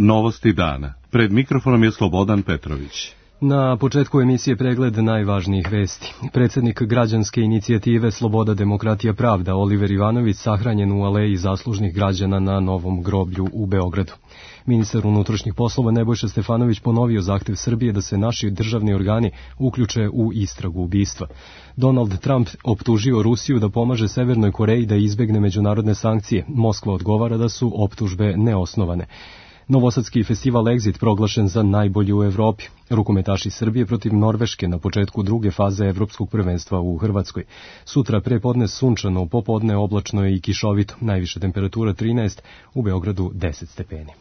Novosti dana. Pred mikrofonom je Slobodan Petrović. Na početku emisije pregled najvažnijih vesti. Predsjednik građanske inicijative Sloboda, demokratija, pravda Oliver Ivanović sahranjen u aleji zaslužnih građana na Novom groblju u Beogradu. Ministar unutrašnjih poslova Nebojša Stefanović ponovio zahtev Srbije da se naši državni organi uključe u istragu ubistva. Donald Trump optužio Rusiju da pomaže Severnoj Koreji da izbegne međunarodne sankcije. Moskva odgovara da su optužbe neosnovane. Novosadski festival Exit proglašen za najbolji u Evropi. Rukometaši Srbije protiv Norveške na početku druge faze evropskog prvenstva u Hrvatskoj. Sutra prepodne sunčano, popodne oblačno i kišovito. Najviša temperatura 13, u Beogradu 10 stepeni.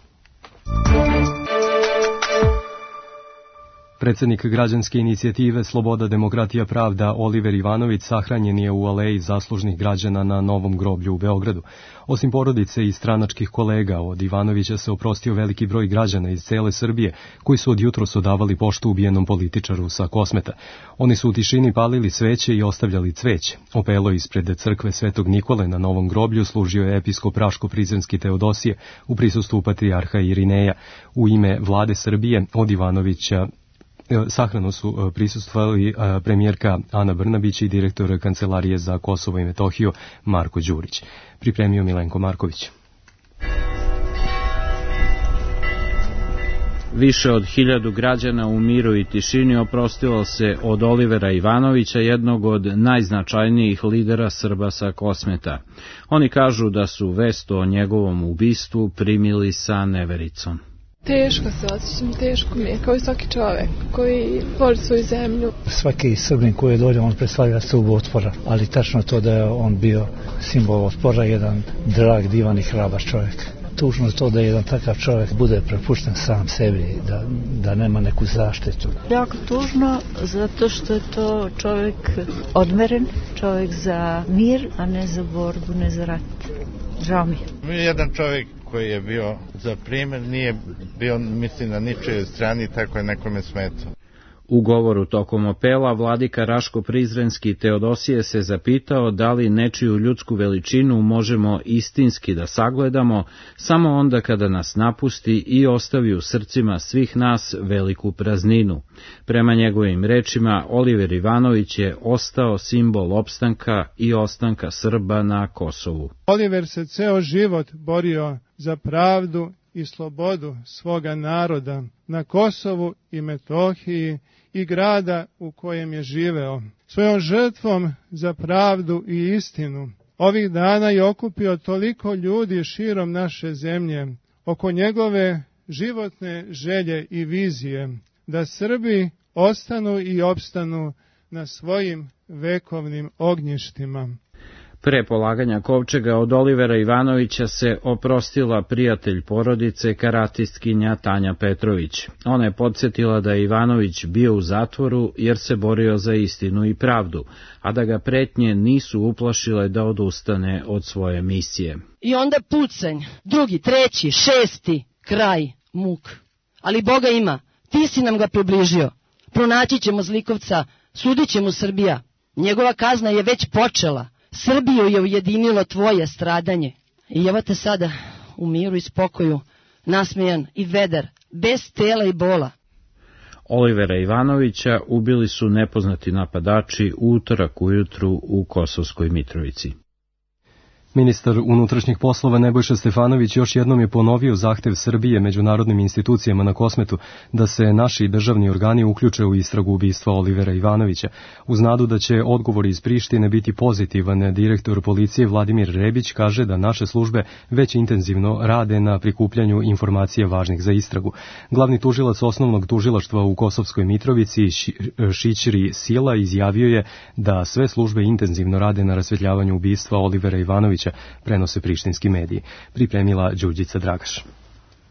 Predsjednik građanske inicijative Sloboda, demokratija, pravda Oliver Ivanović sahranjen je u aleji zaslužnih građana na Novom groblju u Beogradu. Osim porodice i stranačkih kolega, od Ivanovića se oprostio veliki broj građana iz cele Srbije, koji su od jutros odavali poštu ubijenom političaru sa Kosmeta. Oni su u tišini palili sveće i ostavljali cveće. Opelo ispred crkve Svetog Nikole na Novom groblju služio je episkop Raško-Prizrenski Teodosije u prisustvu patrijarha Irineja. U ime vlade Srbije od Ivanovića sahranu su prisustvovali premijerka Ana Brnabić i direktor Kancelarije za Kosovo i Metohiju Marko Đurić. Pripremio Milenko Marković. Više od 1000 građana u miru i tišini oprostilo se od Olivera Ivanovića, jednog od najznačajnijih lidera Srba sa Kosmeta. Oni kažu da su vest o njegovom ubistvu primili sa nevericom. Teško se osjećam, teško mi je, kao i svaki čovek koji voli svoju zemlju. Svaki Srbin koji dođe, on predstavlja stubu otpora, ali tačno to da je on bio simbol otpora, jedan drag, divan i hrabar čovjek. Tužno je to da jedan takav čovjek bude prepušten sam sebi, da nema neku zaštitu. Jako tužno, zato što je to čovjek odmeren, čovjek za mir, a ne za borbu, ne za rat. Žao mi je. Jedan čovjek koji je bio za primjer, nije bio, mislim, na ničijoj strani, tako je nekome smetao. U govoru tokom opela vladika Raško-Prizrenski Teodosije se zapitao da li nečiju ljudsku veličinu možemo istinski da sagledamo samo onda kada nas napusti i ostavi u srcima svih nas veliku prazninu. Prema njegovim rečima, Oliver Ivanović je ostao simbol opstanka i ostanka Srba na Kosovu. Oliver se ceo život borio za pravdu i slobodu svoga naroda na Kosovu i Metohiji i grada u kojem je živeo. Svojom žrtvom za pravdu i istinu ovih dana je okupio toliko ljudi širom naše zemlje oko njegove životne želje i vizije da Srbi ostanu i opstanu na svojim vekovnim ognjištima. Pre polaganja kovčega od Olivera Ivanovića se oprostila prijatelj porodice, karatistkinja Tanja Petrović. Ona je podsjetila da je Ivanović bio u zatvoru jer se borio za istinu i pravdu, a da ga pretnje nisu uplašile da odustane od svoje misije. I onda pucanj, drugi, treći, šesti, kraj, muk. Ali Boga ima, ti si nam ga približio. Pronaći ćemo zlikovca, sudit će mu Srbija. Njegova kazna je već počela. Srbiju je ujedinilo tvoje stradanje. I evo te sada u miru i spokoju, nasmejan i vedar, bez tela i bola. Olivera Ivanovića ubili su nepoznati napadači u utorak ujutru u Kosovskoj Mitrovici. Ministar unutrašnjih poslova Nebojša Stefanović još jednom je ponovio zahtev Srbije međunarodnim institucijama na Kosmetu da se naši državni organi uključe u istragu ubistva Olivera Ivanovića. Uz nadu da će odgovor iz Prištine biti pozitivan, direktor policije Vladimir Rebić kaže da naše službe već intenzivno rade na prikupljanju informacija važnih za istragu. Glavni tužilac osnovnog tužilaštva u Kosovskoj Mitrovici Šićri Sila izjavio je da sve službe intenzivno rade na rasvetljavanju ubistva Olivera Ivanovića, prenose prištinski mediji. Pripremila Đurđica Dragaš.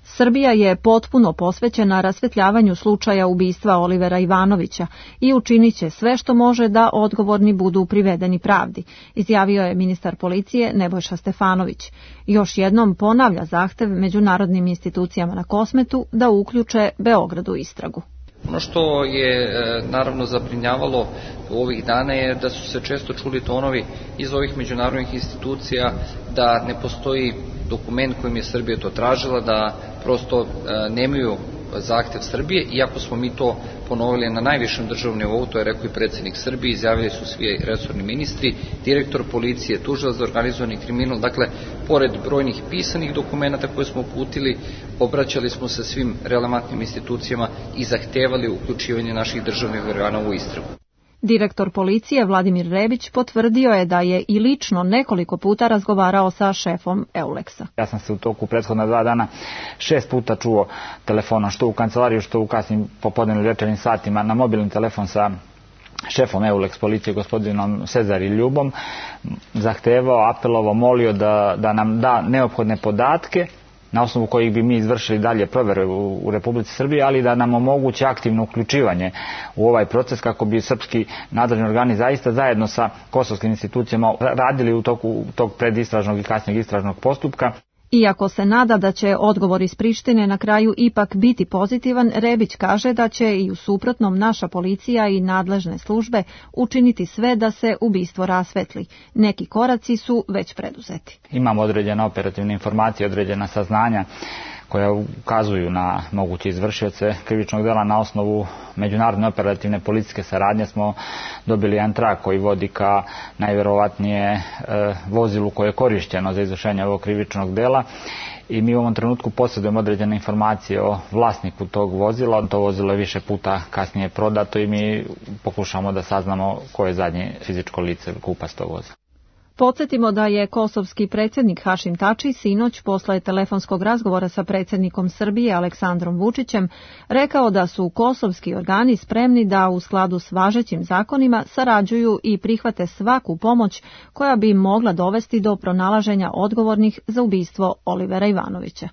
Srbija je potpuno posvećena rasvetljavanju slučaja ubistva Olivera Ivanovića i učinit će sve što može da odgovorni budu privedeni pravdi, izjavio je ministar policije Nebojša Stefanović. Još jednom ponavlja zahtev međunarodnim institucijama na Kosmetu da uključe Beograd u istragu. Ono što je naravno zabrinjavalo ovih dana je da su se često čuli tonovi iz ovih međunarodnih institucija da ne postoji dokument kojim je Srbija to tražila, da prosto nemaju zahtev Srbije, iako smo mi to ponovili na najvišem državnom nivou, to je rekao i predsjednik Srbije, izjavili su svi resorni ministri, direktor policije, tužilac za organizovani kriminal, dakle, pored brojnih pisanih dokumenata koje smo uputili, obraćali smo se svim relevantnim institucijama i zahtevali uključivanje naših državnih organa u istragu. Direktor policije Vladimir Rebić potvrdio je da je i lično nekoliko puta razgovarao sa šefom Euleksa. Ja sam se u toku prethodna 2 dana 6 puta čuo telefonom, što u kancelariju, što u kasnim popodnevnim večernjim satima, na mobilni telefon sa šefom Euleks policije, gospodinom Cezari Ljubom, zahtevao, apelovao, molio da nam da neophodne podatke na osnovu kojih bi mi izvršili dalje provere u Republici Srbiji, ali da nam omogući aktivno uključivanje u ovaj proces kako bi srpski nadležni organi zaista zajedno sa kosovskim institucijama radili u toku tog predistražnog i kasnijeg istražnog postupka. Iako se nada da će odgovor iz Prištine na kraju ipak biti pozitivan, Rebić kaže da će i u suprotnom naša policija i nadležne službe učiniti sve da se ubistvo rasvetli. Neki koraci su već preduzeti. Imamo određene operativne informacije, određena saznanja koja ukazuju na moguće izvršioce krivičnog dela. Na osnovu međunarodne operativne policijske saradnje smo dobili jedan trak koji vodi ka najvjerovatnije vozilu koje je korišćeno za izvršenje ovog krivičnog dela i mi u ovom trenutku posjedujemo određene informacije o vlasniku tog vozila. To vozilo je više puta kasnije prodato i mi pokušamo da saznamo ko je zadnje fizičko lice kupac tog vozila. Podsjetimo da je kosovski predsjednik Hašim Tači sinoć posle telefonskog razgovora sa predsjednikom Srbije Aleksandrom Vučićem rekao da su kosovski organi spremni da u skladu s važećim zakonima sarađuju i prihvate svaku pomoć koja bi mogla dovesti do pronalaženja odgovornih za ubistvo Olivera Ivanovića.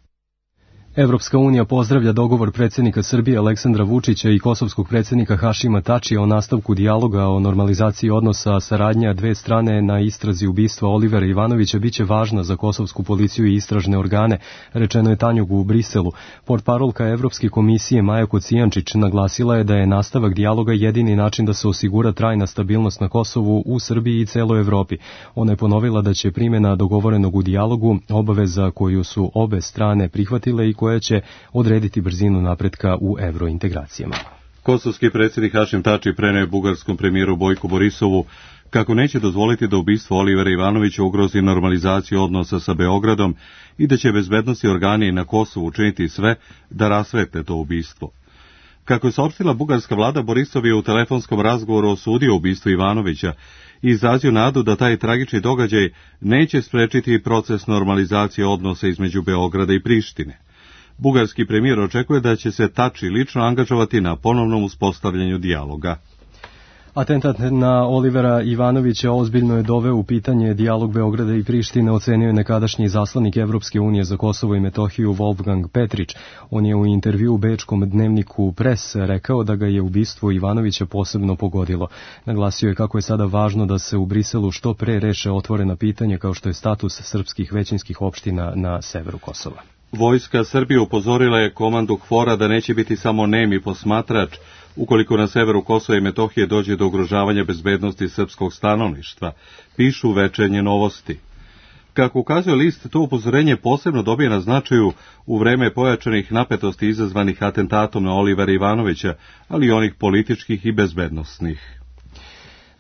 Evropska unija pozdravlja dogovor predsjednika Srbije Aleksandra Vučića i kosovskog predsjednika Hašima Tačija o nastavku dijaloga o normalizaciji odnosa. Saradnja dve strane na istrazi ubistva Olivera Ivanovića biće važna za kosovsku policiju i istražne organe, rečeno je Tanjugu u Briselu. Portparolka Evropske komisije Maja Kocijančić naglasila je da je nastavak dijaloga jedini način da se osigura trajna stabilnost na Kosovu, u Srbiji i celoj Evropi. Ona je ponovila da će primjena dogovorenog u dijalogu obaveza koju su obe strane prihvatile i koja će odrediti brzinu napretka u evrointegracijama. Kosovski predsjednik Hašim Tači preneo je bugarskom premijeru Bojku Borisovu kako neće dozvoliti da ubistvo Olivera Ivanovića ugrozi normalizaciju odnosa sa Beogradom i da će bezbednosni organi na Kosovu učiniti sve da rasvetle to ubistvo. Kako je saopštila bugarska vlada, Borisov je u telefonskom razgovoru osudio ubistvo Ivanovića i izrazio nadu da taj tragični događaj neće sprečiti proces normalizacije odnosa između Beograda i Prištine. Bugarski premijer očekuje da će se Tači lično angažovati na ponovnom uspostavljanju dijaloga. Atentat na Olivera Ivanovića ozbiljno je doveo u pitanje dijalog Beograda i Prištine, ocenio je nekadašnji zaslanik Evropske unije za Kosovo i Metohiju Wolfgang Petrić. On je u intervju u bečkom dnevniku Pres rekao da ga je ubistvo Ivanovića posebno pogodilo. Naglasio je kako je sada važno da se u Briselu što pre reše otvorena pitanja kao što je status srpskih većinskih opština na severu Kosova. Vojska Srbije upozorila je komandu KFOR-a da neće biti samo nemi posmatrač ukoliko na severu Kosova i Metohije dođe do ugrožavanja bezbednosti srpskog stanovništva, pišu Večernje novosti. Kako ukazuje list, to upozorenje posebno dobije na značaju u vreme pojačanih napetosti izazvanih atentatom na Olivera Ivanovića, ali i onih političkih i bezbednosnih.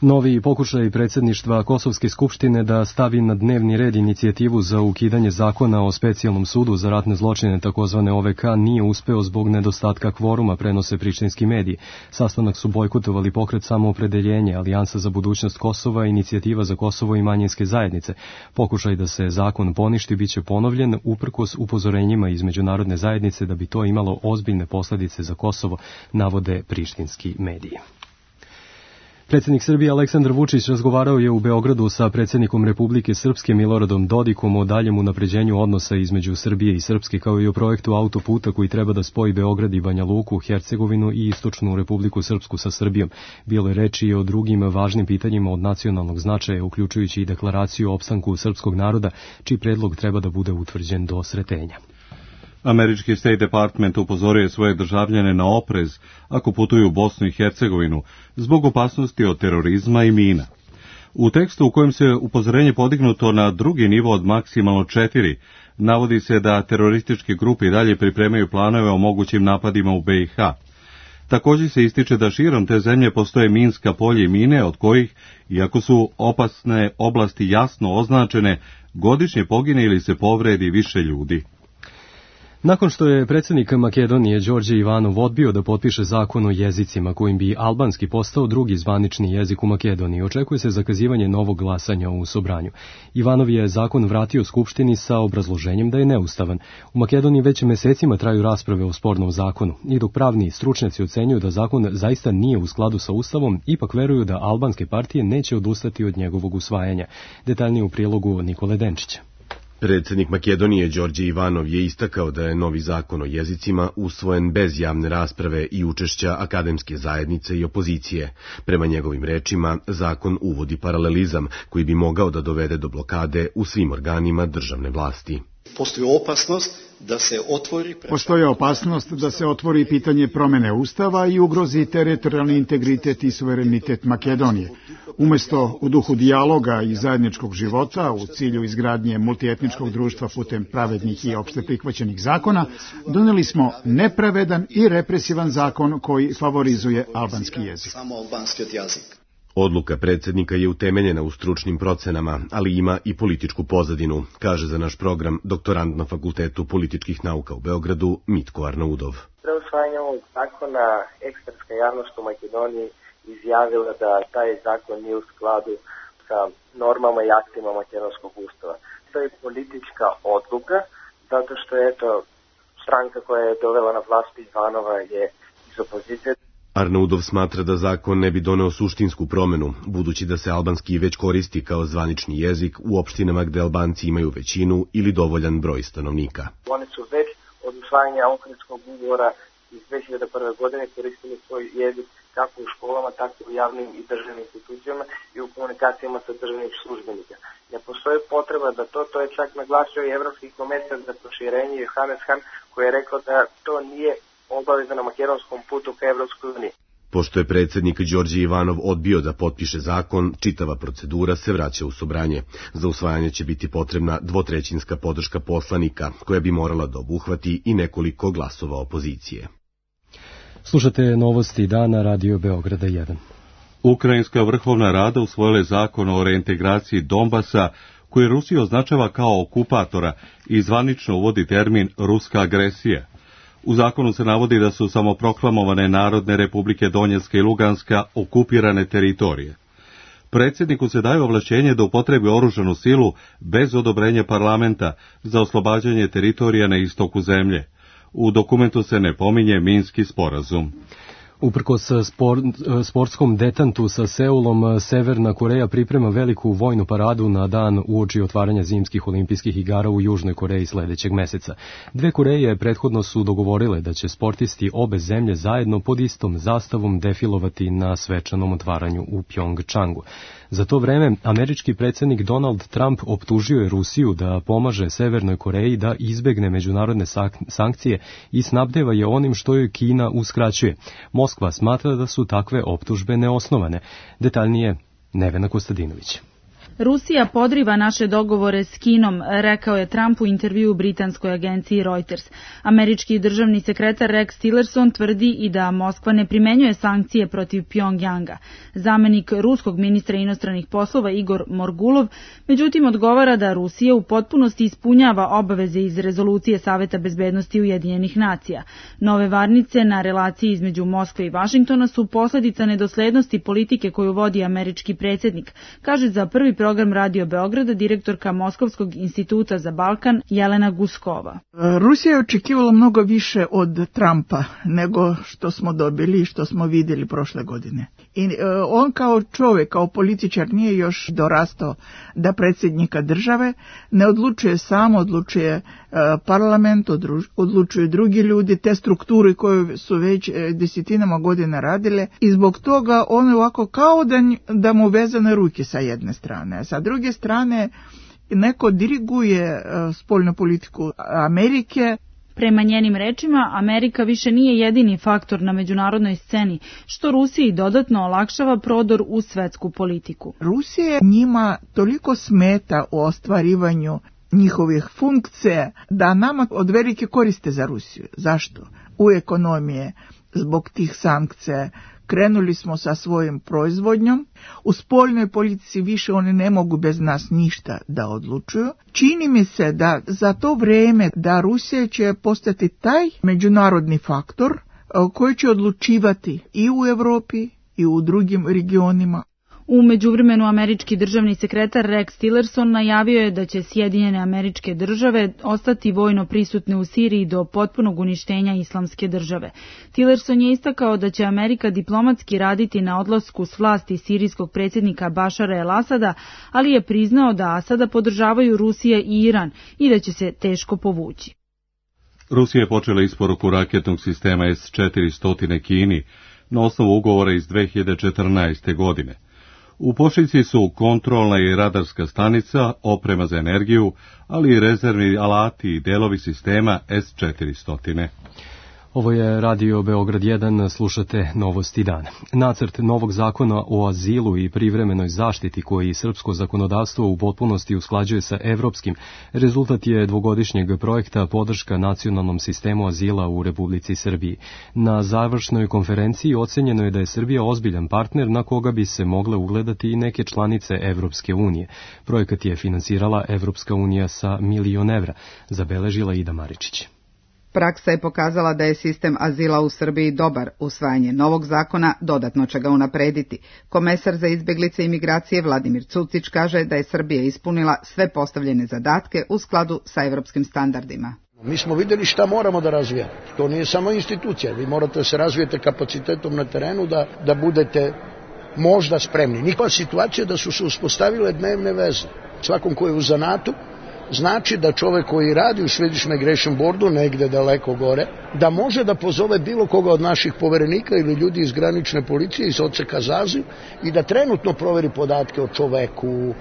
Novi pokušaj predsjedništva Kosovske skupštine da stavi na dnevni red inicijativu za ukidanje zakona o specijalnom sudu za ratne zločine, takozvane OVK, nije uspeo zbog nedostatka kvoruma, prenose prištinski mediji. Sastanak su bojkotovali Pokret samoopredeljenje, Alijansa za budućnost Kosova, Inicijativa za Kosovo i manjinske zajednice. Pokušaj da se zakon poništi biće ponovljen uprkos upozorenjima iz međunarodne zajednice da bi to imalo ozbiljne posljedice za Kosovo, navode prištinski mediji. Predsjednik Srbije Aleksandar Vučić razgovarao je u Beogradu sa predsjednikom Republike Srpske Miloradom Dodikom o daljem unapređenju odnosa između Srbije i Srpske, kao i o projektu autoputa koji treba da spoji Beograd i Banja Luku, Hercegovinu i istočnu Republiku Srpsku sa Srbijom. Bilo je reči i o drugim važnim pitanjima od nacionalnog značaja, uključujući i deklaraciju o opstanku srpskog naroda, čiji predlog treba da bude utvrđen do sretenja. Američki State Department upozorio je svoje državljane na oprez ako putuju u Bosnu i Hercegovinu zbog opasnosti od terorizma i mina. U tekstu u kojem se upozorenje podignuto na drugi nivo od maksimalno 4, navodi se da terorističke grupe i dalje pripremaju planove o mogućim napadima u BiH. Također se ističe da širom te zemlje postoje minska polja i mine od kojih, iako su opasne oblasti jasno označene, godišnje pogine ili se povredi više ljudi. Nakon što je predsjednik Makedonije Đorđe Ivanov odbio da potpiše zakon o jezicima kojim bi albanski postao drugi zvanični jezik u Makedoniji, očekuje se zakazivanje novog glasanja u Sobranju. Ivanov je zakon vratio Skupštini sa obrazloženjem da je neustavan. U Makedoniji već mesecima traju rasprave o spornom zakonu i dok pravni stručnjaci ocenjuju da zakon zaista nije u skladu sa Ustavom, ipak veruju da albanske partije neće odustati od njegovog usvajanja. Detaljnije u prilogu Nikole Denčića. Predsjednik Makedonije Đorđe Ivanov je istakao da je novi zakon o jezicima usvojen bez javne rasprave i učešća akademske zajednice i opozicije. Prema njegovim rečima, zakon uvodi paralelizam koji bi mogao da dovede do blokade u svim organima državne vlasti. Postoji opasnost da se otvori pitanje promjene Ustava i ugrozi teritorijalni integritet i suverenitet Makedonije. Umjesto u duhu dijaloga i zajedničkog života u cilju izgradnje multietničkog društva putem pravednih i opšte prihvaćenih zakona, donijeli smo nepravedan i represivan zakon koji favorizuje albanski jezik. Odluka predsjednika je utemeljena u stručnim procenama, ali ima i političku pozadinu, kaže za naš program doktorant na Fakultetu političkih nauka u Beogradu Mitko Arnaudov. Pre usvajanja ovog zakona, ekspertska javnost u Makedoniji izjavila da taj zakon nije u skladu sa normama i aktima makedonskog ustava. To je politička odluka, zato što stranka koja je dovela na vlast Ivanova je iz opozicije. Arnaudov smatra da zakon ne bi doneo suštinsku promjenu, budući da se albanski već koristi kao zvanični jezik u opštinama gde Albanci imaju većinu ili dovoljan broj stanovnika. Oni su već od usvajanja Ohridskog ugovora iz 2001. godine koristili svoj jezik kako u školama, tako u javnim i državnim institucijama i u komunikacijama sa državnih službenika. Ne postoji potreba da to je čak naglasio i Evropski komesar za proširenje Johannes Hahn, koji je rekao da to nije obaveza na makedonskom putu ka Evropskoj uniji. Pošto je predsjednik Đorđe Ivanov odbio da potpiše zakon, čitava procedura se vraća u Sobranje. Za usvajanje će biti potrebna dvotrećinska podrška poslanika, koja bi morala da obuhvati i nekoliko glasova opozicije. Slušate novosti dana Radio Beograda 1. Ukrajinska vrhovna rada usvojila je zakon o reintegraciji Donbasa, koji Rusija označava kao okupatora i zvanično uvodi termin ruska agresija. U zakonu se navodi da su samoproklamovane Narodne republike Donjecka i Luganska okupirane teritorije. Predsjedniku se daje ovlašćenje da upotrebi oružanu silu bez odobrenja parlamenta za oslobađanje teritorija na istoku zemlje. U dokumentu se ne pominje Minski sporazum. Uprkos sportskom detantu sa Seulom, Severna Koreja priprema veliku vojnu paradu na dan uoči otvaranja zimskih olimpijskih igara u Južnoj Koreji sledećeg meseca. Dve Koreje prethodno su dogovorile da će sportisti obe zemlje zajedno pod istom zastavom defilovati na svečanom otvaranju u Pjongčangu. Za to vreme, američki predsjednik Donald Trump optužio je Rusiju da pomaže Severnoj Koreji da izbegne međunarodne sankcije i snabdeva je onim što joj Kina uskraćuje. Moskva smatra da su takve optužbe neosnovane. Detaljnije Nevena Kostadinović. Rusija podriva naše dogovore s Kinom, rekao je Trump u intervju u britanskoj agenciji Reuters. Američki državni sekretar Rex Tillerson tvrdi i da Moskva ne primenjuje sankcije protiv Pjongjanga. Zamenik ruskog ministra inostranih poslova Igor Morgulov, međutim, odgovara da Rusija u potpunosti ispunjava obaveze iz rezolucije Saveta bezbednosti Ujedinjenih nacija. Nove varnice na relaciji između Moskve i Vašingtona su posledica nedoslednosti politike koju vodi američki predsjednik, kaže za prvi program Radio Beograda direktorka Moskovskog instituta za Balkan Jelena Guskova. Rusija je očekivala mnogo više od Trumpa nego što smo dobili i što smo vidjeli prošle godine. I on kao čovjek, kao političar nije još dorastao da predsjednika države ne odlučuje sam, odlučuje parlament, odlučuju drugi ljudi, te strukture koje su već desetinama godina radile i zbog toga on je ovako kao da mu vezane ruke sa jedne strane. Sa druge strane neko diriguje spoljnu politiku Amerike. Prema njenim rečima, Amerika više nije jedini faktor na međunarodnoj sceni, što Rusiji dodatno olakšava prodor u svetsku politiku. Rusija njima toliko smeta u ostvarivanju njihovih funkcija da nama od velike koriste za Rusiju. Zašto? U ekonomije, zbog tih sankcija, krenuli smo sa svojim proizvodnjom. U spoljnoj politici više oni ne mogu bez nas ništa da odlučuju. Čini mi se da za to vrijeme da Rusija će postati taj međunarodni faktor koji će odlučivati i u Europi i u drugim regionima. U međuvremenu američki državni sekretar Rex Tillerson najavio je da će Sjedinjene Američke Države ostati vojno prisutne u Siriji do potpunog uništenja Islamske države. Tillerson je istakao da će Amerika diplomatski raditi na odlasku s vlasti sirijskog predsjednika Bašara el-Asada, ali je priznao da Asada podržavaju Rusija i Iran i da će se teško povući. Rusija je počela isporuku raketnog sistema S-400 Kini na osnovu ugovora iz 2014. godine. U pošiljci su kontrolna i radarska stanica, oprema za energiju, ali i rezervni alati i delovi sistema S-400. Ovo je Radio Beograd 1, slušate Novosti dana. Nacrt novog zakona o azilu i privremenoj zaštiti koji srpsko zakonodavstvo u potpunosti usklađuje sa evropskim, rezultat je dvogodišnjeg projekta podrška nacionalnom sistemu azila u Republici Srbiji. Na završnoj konferenciji ocenjeno je da je Srbija ozbiljan partner na koga bi se mogle ugledati i neke članice Evropske unije. Projekat je finansirala Evropska unija sa $1 milion, zabeležila Ida Maričić. Praksa je pokazala da je sistem azila u Srbiji dobar. Usvajanje novog zakona dodatno će ga unaprediti. Komesar za izbjeglice i migracije Vladimir Cucić kaže da je Srbija ispunila sve postavljene zadatke u skladu sa evropskim standardima. Mi smo vidjeli šta moramo da razvijamo. To nije samo institucija. Vi morate da se razvijete kapacitetom na terenu da budete možda spremni. Nikakva situacija da su se uspostavile dnevne veze. Svakom ko je u zanatu, znači da čovjek koji radi u Swedish Migration Boardu, negde daleko gore, da može da pozove bilo koga od naših poverenika ili ljudi iz granične policije, iz odseka za azil i da trenutno proveri podatke o čoveku,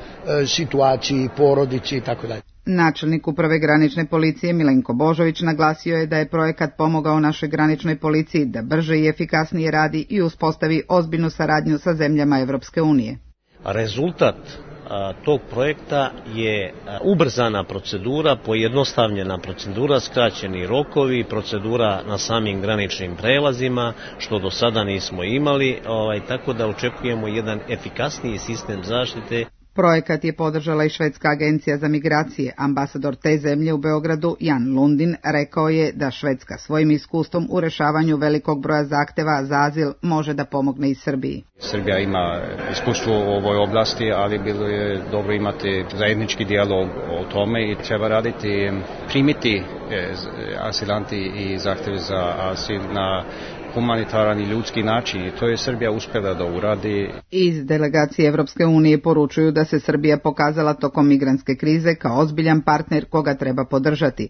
situaciji, porodici i tako dalje. Načelnik uprave granične policije Milenko Božović naglasio je da je projekat pomogao našoj graničnoj policiji da brže i efikasnije radi i uspostavi ozbiljnu saradnju sa zemljama Evropske unije. Rezultat tog projekta je ubrzana procedura, pojednostavljena procedura, skraćeni rokovi, procedura na samim graničnim prelazima, što do sada nismo imali, tako da očekujemo jedan efikasniji sistem zaštite. Projekat je podržala i Švedska agencija za migracije. Ambasador te zemlje u Beogradu, Jan Lundin, rekao je da Švedska svojim iskustvom u rešavanju velikog broja zahteva za azil može da pomogne i Srbiji. Srbija ima iskustvo u ovoj oblasti, ali bilo je dobro imati zajednički dijalog o tome i treba raditi, primiti asilanti i zahteve za asil na humanitaran i ljudski način i to je Srbija uspjela da uradi. Iz delegacije Evropske unije poručuju da se Srbija pokazala tokom migrantske krize kao ozbiljan partner koga treba podržati.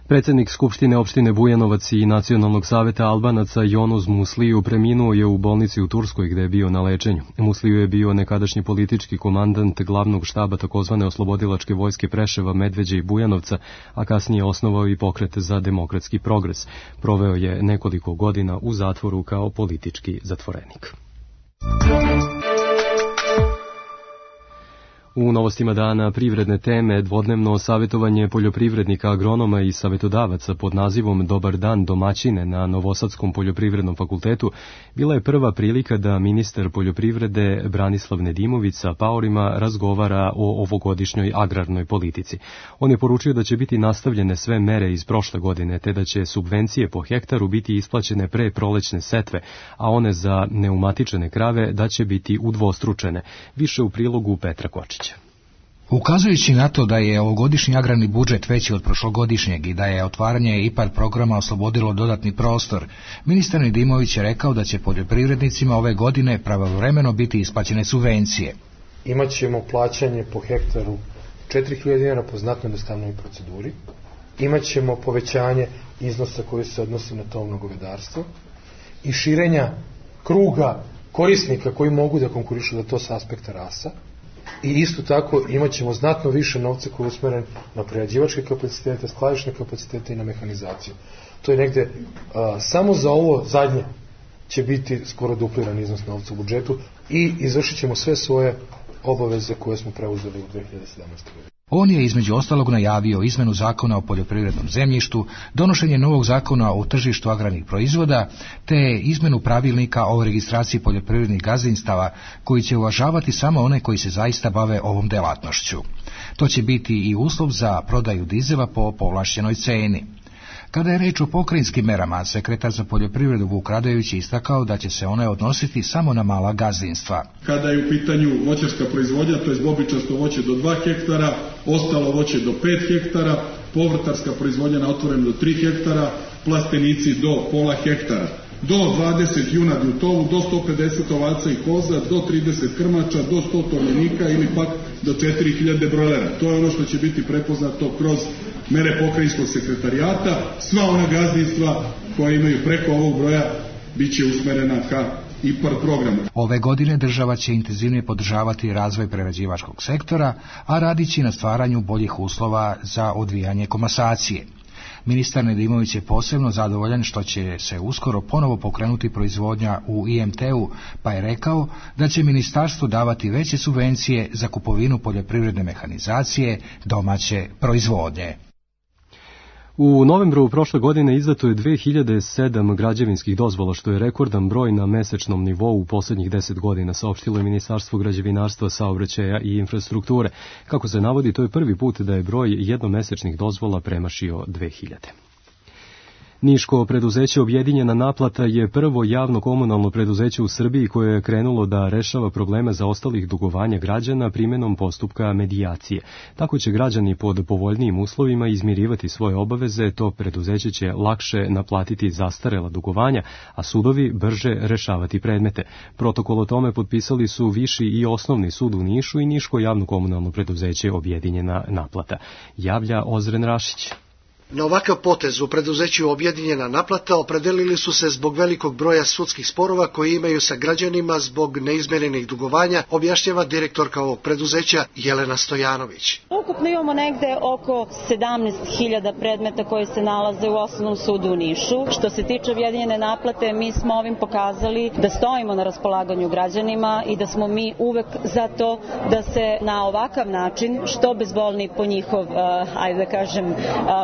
Predsjednik Skupštine opštine Bujanovac i Nacionalnog saveta Albanaca Jonuz Musliju preminuo je u bolnici u Turskoj gde je bio na lečenju. Musliju je bio nekadašnji politički komandant glavnog štaba takozvane oslobodilačke vojske Preševa, Medveđe i Bujanovca, a kasnije osnovao i pokret za demokratski progres. Proveo je nekoliko godina u zatvoru kao politički zatvorenik. U novostima dana privredne teme dvodnevno savjetovanje poljoprivrednika, agronoma i savjetodavaca pod nazivom Dobar dan domaćine na Novosadskom poljoprivrednom fakultetu bila je prva prilika da ministar poljoprivrede Branislav Nedimović sa paorima razgovara o ovogodišnjoj agrarnoj politici. On je poručio da će biti nastavljene sve mere iz prošle godine, te da će subvencije po hektaru biti isplaćene pre prolećne setve, a one za neumatičene krave da će biti udvostručene. Više u prilogu Petra Kočića. Ukazujući na to da je ovogodišnji agrarni budžet veći od prošlogodišnjeg i da je otvaranje IPARD programa oslobodilo dodatni prostor, ministar Nedimović je rekao da će poljoprivrednicima ove godine pravovremeno biti isplaćene subvencije. Imaćemo plaćanje po hektaru 4.000 dinara po znatno jednostavnoj proceduri. Imaćemo povećanje iznosa koji se odnosi na tovno govedarstvo i širenja kruga korisnika koji mogu da konkurišu za to sa aspekta rasa. i isto tako imat ćemo znatno više novca koji je usmeren na prerađivačke kapacitete, skladišne kapacitete i na mehanizaciju. To je negde, samo za ovo zadnje će biti skoro dupliran iznos novca u budžetu i izvršit ćemo sve svoje obaveze koje smo preuzeli u 2017. godini. On je između ostalog najavio izmenu zakona o poljoprivrednom zemljištu, donošenje novog zakona o tržištu agrarnih proizvoda, te izmenu pravilnika o registraciji poljoprivrednih gazdinstava koji će uvažavati samo one koji se zaista bave ovom delatnošću. To će biti i uslov za prodaju dizela po povlašćenoj ceni. Kada je reč o pokrajinskim merama, sekretar za poljoprivredu Vuk Radojević je istakao da će se one odnositi samo na mala gazdinstva. Kada je u pitanju voćarska proizvodnja, to je bobičasto voće do 2 hektara, ostalo voće do 5 hektara, povrtarska proizvodnja na otvoreno do 3 hektara, plastenici do pola hektara. Do 20 junadi u tovu, do 150 ovaca i koza, do 30 krmača, do 100 tovljenika ili pak do 4000 brojlera. To je ono što će biti prepoznato kroz mere pokrajinskog sekretarijata. Sva ona gazdinstva koja imaju preko ovog broja bit će usmerena ka IPARD programu. Ove godine država će intenzivnije podržavati razvoj prerađivačkog sektora, a radići na stvaranju boljih uslova za odvijanje komasacije. Ministar Nedimović je posebno zadovoljan što će se uskoro ponovo pokrenuti proizvodnja u IMT-u, pa je rekao da će ministarstvo davati veće subvencije za kupovinu poljoprivredne mehanizacije domaće proizvodnje. U novembru prošle godine izdato je 2007 građevinskih dozvola, što je rekordan broj na mesečnom nivou u posljednjih 10 godina, saopštilo je Ministarstvo građevinarstva, saobraćaja i infrastrukture. Kako se navodi, to je prvi put da je broj jednomesečnih dozvola premašio 2000. Niško preduzeće Objedinjena naplata je prvo javno komunalno preduzeće u Srbiji koje je krenulo da rešava probleme zaostalih dugovanja građana primjenom postupka medijacije. Tako će građani pod povoljnijim uslovima izmirivati svoje obaveze, to preduzeće će lakše naplatiti zastarela dugovanja, a sudovi brže rešavati predmete. Protokol o tome potpisali su Viši i Osnovni sud u Nišu i Niško javno komunalno preduzeće Objedinjena naplata. Javlja Ozren Rašić. Na ovakav potez u preduzeću Objedinjena naplata opredelili su se zbog velikog broja sudskih sporova koji imaju sa građanima zbog neizmirenih dugovanja, objašnjava direktorka ovog preduzeća Jelena Stojanović. Ukupno imamo negde oko 17.000 predmeta koji se nalaze u Osnovnom sudu u Nišu. Što se tiče Objedinjene naplate, mi smo ovim pokazali da stojimo na raspolaganju građanima i da smo mi uvek za to da se na ovakav način, što bezbolni po njihov, ajde da kažem,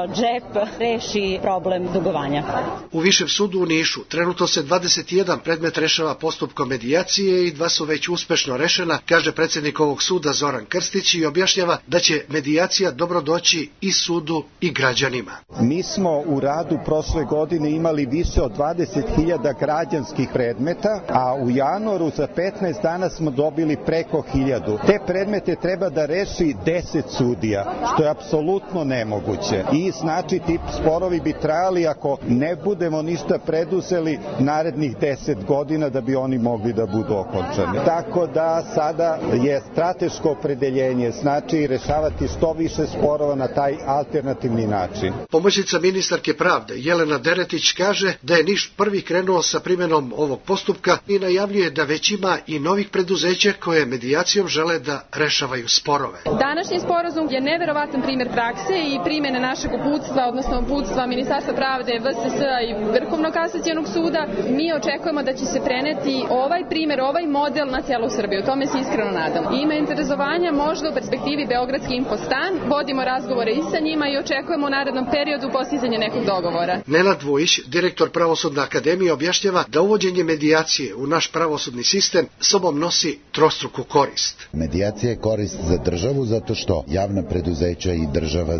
džep, reši problem dugovanja. U Višem sudu u Nišu trenutno se 21 predmet rešava postupkom medijacije i 2 su već uspešno rešena, kaže predsjednik ovog suda Zoran Krstić i objašnjava da će medijacija dobro doći i sudu i građanima. Mi smo u radu prošle godine imali više od 20.000 građanskih predmeta, a u januaru za 15 dana smo dobili preko 1000. Te predmete treba da reši 10 sudija, što je apsolutno nemoguće. I znači ti sporovi bi trajali ako ne budemo ništa preduzeli narednih 10 godina da bi oni mogli da budu okončani. Tako da sada je strateško opredeljenje, znači rešavati što više sporova na taj alternativni način. Pomoćnica ministarke pravde Jelena Deretić kaže da je Niš prvi krenuo sa primjenom ovog postupka i najavljuje da već ima i novih preduzeća koje medijacijom žele da rešavaju sporove. Današnji sporazum je neverovatan primjer prakse i primjene našeg uputstva, odnosno uputstva Ministarstva pravde, VSS-a i Vrhovnog kasacionog suda. Mi očekujemo da će se preneti ovaj primjer, ovaj model na celu Srbiju. Tome se iskreno nadamo. Ima interesovanja možda u perspektivi Beogradski infostan. Vodimo razgovore i sa njima i očekujemo u narednom periodu postizanje nekog dogovora. Nenad Vujić, direktor Pravosudne akademije, objašnjava da uvođenje medijacije u naš pravosudni sistem sobom nosi trostruku korist. Medijacija je korist za državu zato što javna preduzeća i država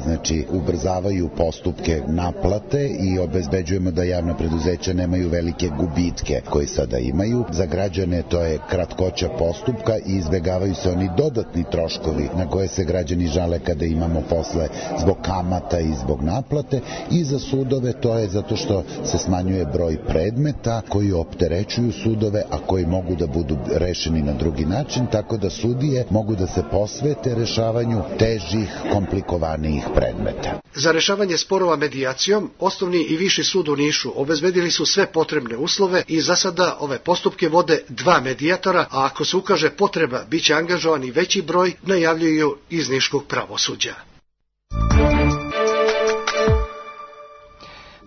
ubrzavaju postupke naplate i obezbeđujemo da javna preduzeća nemaju velike gubitke koje sada imaju. Za građane to je kratkoća postupka i izbegavaju se oni dodatni troškovi na koje se građani žale kada imamo posle zbog kamata i zbog naplate, i za sudove to je zato što se smanjuje broj predmeta koji opterećuju sudove, a koji mogu da budu rešeni na drugi način, tako da sudije mogu da se posvete rešavanju težih, komplikovanijih predmeta. Za rešavanje rešavanje sporova medijacijom, Osnovni i Viši sud u Nišu obezbedili su sve potrebne uslove i za sada ove postupke vode 2 medijatora, a ako se ukaže potreba, biće angažovan i veći broj, najavljuju iz niškog pravosuđa.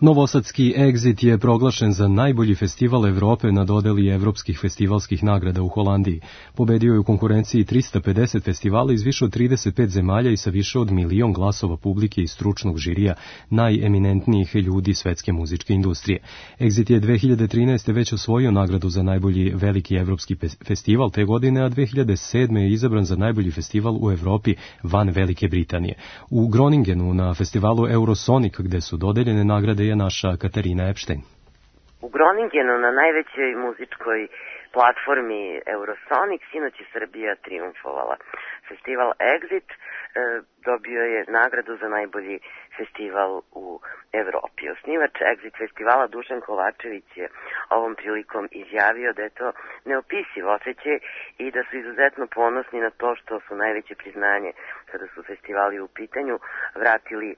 Novosadski Exit je proglašen za najbolji festival Evrope na dodeli evropskih festivalskih nagrada u Holandiji. Pobedio je u konkurenciji 350 festivala iz više od 35 zemalja i sa više od 1 milion glasova publike i stručnog žirija najeminentnijih ljudi svetske muzičke industrije. Exit je 2013. već osvojio nagradu za najbolji veliki evropski festival te godine, a 2007. je izabran za najbolji festival u Evropi van Velike Britanije. U Groningenu na festivalu Eurosonic, gde su dodeljene nagrade, je naša Katarina Epštajn. U Groningenu na najvećoj muzičkoj platformi Eurosonic sinoć je Srbija triumfovala. Festival Exit dobio je nagradu za najbolji festival u Evropi. Osnivač Exit festivala Dušan Kovačević je ovom prilikom izjavio da je to neopisiv osjećaj i da su izuzetno ponosni na to što su najveće priznanje kada su festivali u pitanju vratili,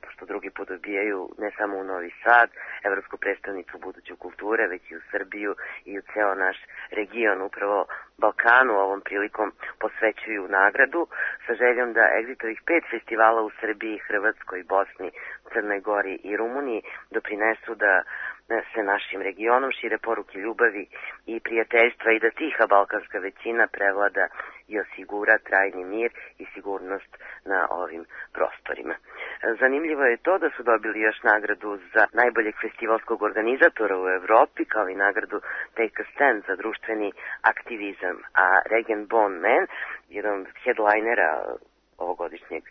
pošto drugi put dobijaju ne samo u Novi Sad, Evropsku predstavnicu buduće kulture, već i u Srbiju i u ceo naš region. Upravo Balkanu ovom prilikom posvećuju nagradu sa željom da Exitovih 5 festivala u Srbiji, Hrvatskoj, Bosni, Crnoj Gori i Rumuniji doprinesu da se našim regionom šire poruke ljubavi i prijateljstva i da tiha balkanska većina prevlada i osigura trajni mir i sigurnost na ovim prostorima. Zanimljivo je to da su dobili još nagradu za najboljeg festivalskog organizatora u Evropi, kao i nagradu Take a Stand za društveni aktivizam, a Regen Bon Man, jedan od headlinera ovogodišnjeg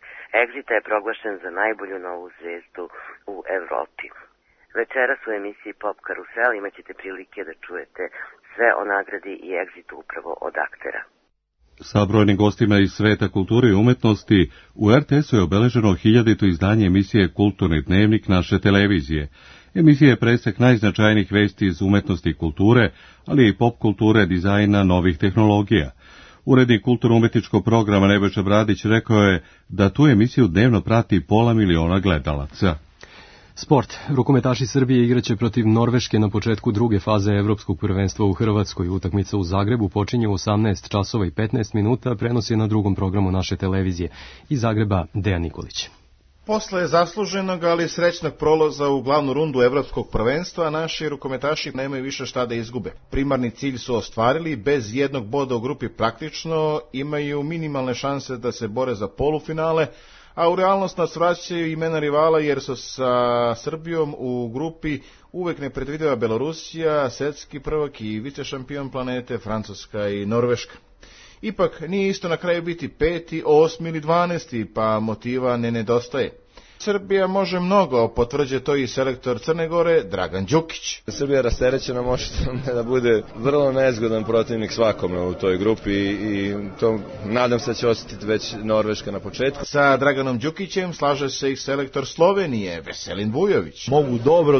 Exita, je proglašen za najbolju novu zvezdu u Evropi. Večeras u emisiji Pop Karusel imat ćete prilike da čujete sve o nagradi i Exitu upravo od aktera. Sa brojnim gostima iz sveta kulture i umetnosti, u RTS-u je obeleženo 1000. izdanje emisije Kulturni dnevnik naše televizije. Emisija je presek najznačajnijih vesti iz umetnosti i kulture, ali i pop kulture, dizajna, novih tehnologija. Urednik kulturno-umetničkog programa Nebojša Bradić rekao je da tu emisiju dnevno prati 500 miliona gledalaca. Sport. Rukometaši Srbije igraće protiv Norveške na početku druge faze Evropskog prvenstva u Hrvatskoj. Utakmica u Zagrebu počinje u 18 časova i 15 minuta, prenos je na drugom programu naše televizije. Iz Zagreba Dejan Nikolić. Posle zasluženog, ali srećnog prolaza u glavnu rundu Evropskog prvenstva, naši rukometaši nemaju više šta da izgube. Primarni cilj su ostvarili, bez jednog boda u grupi praktično, imaju minimalne šanse da se bore za polufinale, a u realnost nas vraćaju imena rivala jer su sa Srbijom u grupi uvek nepredvidiva Belorusija, svetski prvak i vicešampion planete Francuska i Norveška. Ipak nije isto na kraju biti 5., 8. ili 12. pa motiva ne nedostaje. Srbija može mnogo, potvrđuje to i selektor Crne Gore Dragan Đukić. Srbija rasterećena može da bude vrlo nezgodan protivnik svakome u toj grupi i to nadam se da će osjetiti već Norveška na početku. Sa Draganom Đukićem slaže se i selektor Slovenije Veselin Vujović. Mogu dobro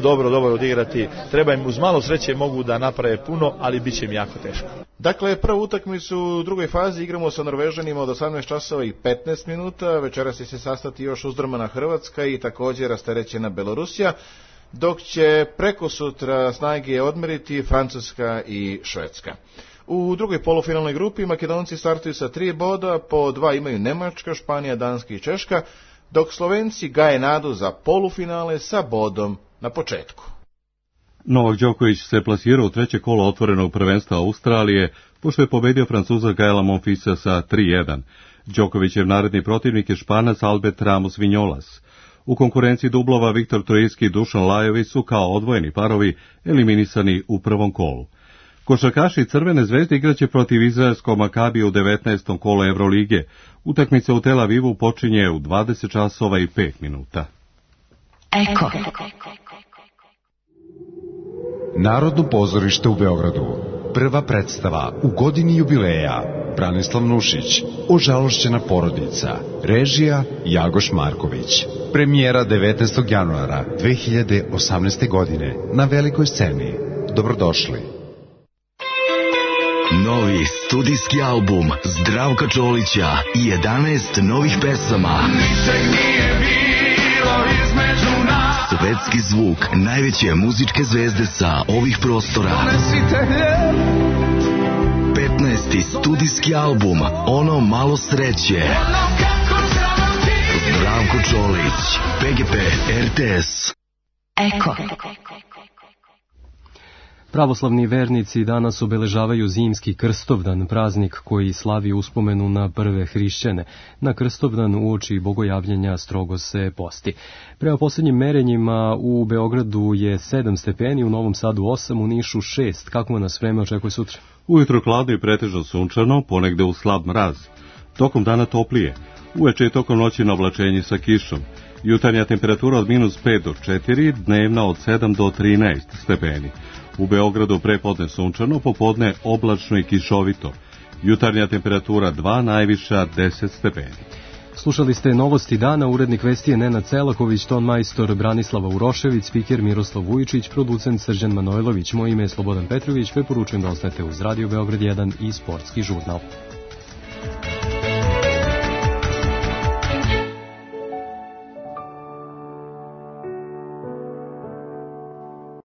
odigrati, treba im uz malo sreće mogu da naprave puno, ali bit će im jako teško. Dakle, prvu utakmicu u drugoj fazi igramo sa Norvežanima od 18 časova i 15 minuta, večeras će se sastati još uzdrmana Hrvatska i također rasterećena Belorusija, dok će preko sutra snage odmeriti Francuska i Švedska. U drugoj polufinalnoj grupi Makedonci startuju sa 3 boda, po 2 imaju Nemačka, Španija, Danska i Češka, dok Slovenci gaje nadu za polufinale sa bodom na početku. Novak Đoković se plasirao u treće kolo otvorenog prvenstva Australije, pošto je pobedio Francuza Gaela Monfilsa sa 3-1. Đokovićev naredni protivnik je Španac Albert Ramos Vinjolas. U konkurenciji dublova Viktor Trojicki i Dušan Lajović su kao odvojeni parovi eliminisani u prvom kolu. Košarkaši Crvene zvezde igraće protiv izraelskog Makabija u 19. kolu Evrolige. Utakmica u Tel Avivu počinje u 20 časova i 5 minuta. Eko. Narodno pozorište u Beogradu. Prva predstava u godini jubileja. Branislav Nušić, Ožalošćena porodica. Režija Jagoš Marković. Premijera 19. januara 2018. godine na velikoj sceni. Dobrodošli. Novi studijski album Zdravka Čolića i 11 novih pesama. Ničeg nije bilo iz Svetski zvuk najveće muzičke zvezde sa ovih prostora. 15. studijski album Ono malo sreće. Zdravko Čolić, PGP RTS. Eko. Pravoslavni vernici danas obeležavaju zimski Krstovdan, praznik koji slavi uspomenu na prve hrišćane. Na Krstovdan uoči bogojavljenja strogo se posti. Prema posljednjim merenjima u Beogradu je 7 stepeni, u Novom Sadu 8, u Nišu 6. Kako nas vreme očekuje sutra? Ujutro hladno i pretežno sunčano, ponegde u slab mraz. Tokom dana toplije. Uveče i tokom noći na oblačenje sa kišom. Jutarnja temperatura od -5 do 4, dnevna od 7 do 13 stepeni. U Beogradu prepodne sunčano, popodne oblačno i kišovito. Jutarnja temperatura 2, najviša 10 stepeni. Slušali ste novosti dana, urednik vesti je Nenad Celaković, ton majstor Branislava Urošević, spiker Miroslav Vujičić, producent Srđan Manojlović. Moje ime je Slobodan Petrović, preporučujem da ostanete uz Radio Beograd 1 i Sportski žurnal.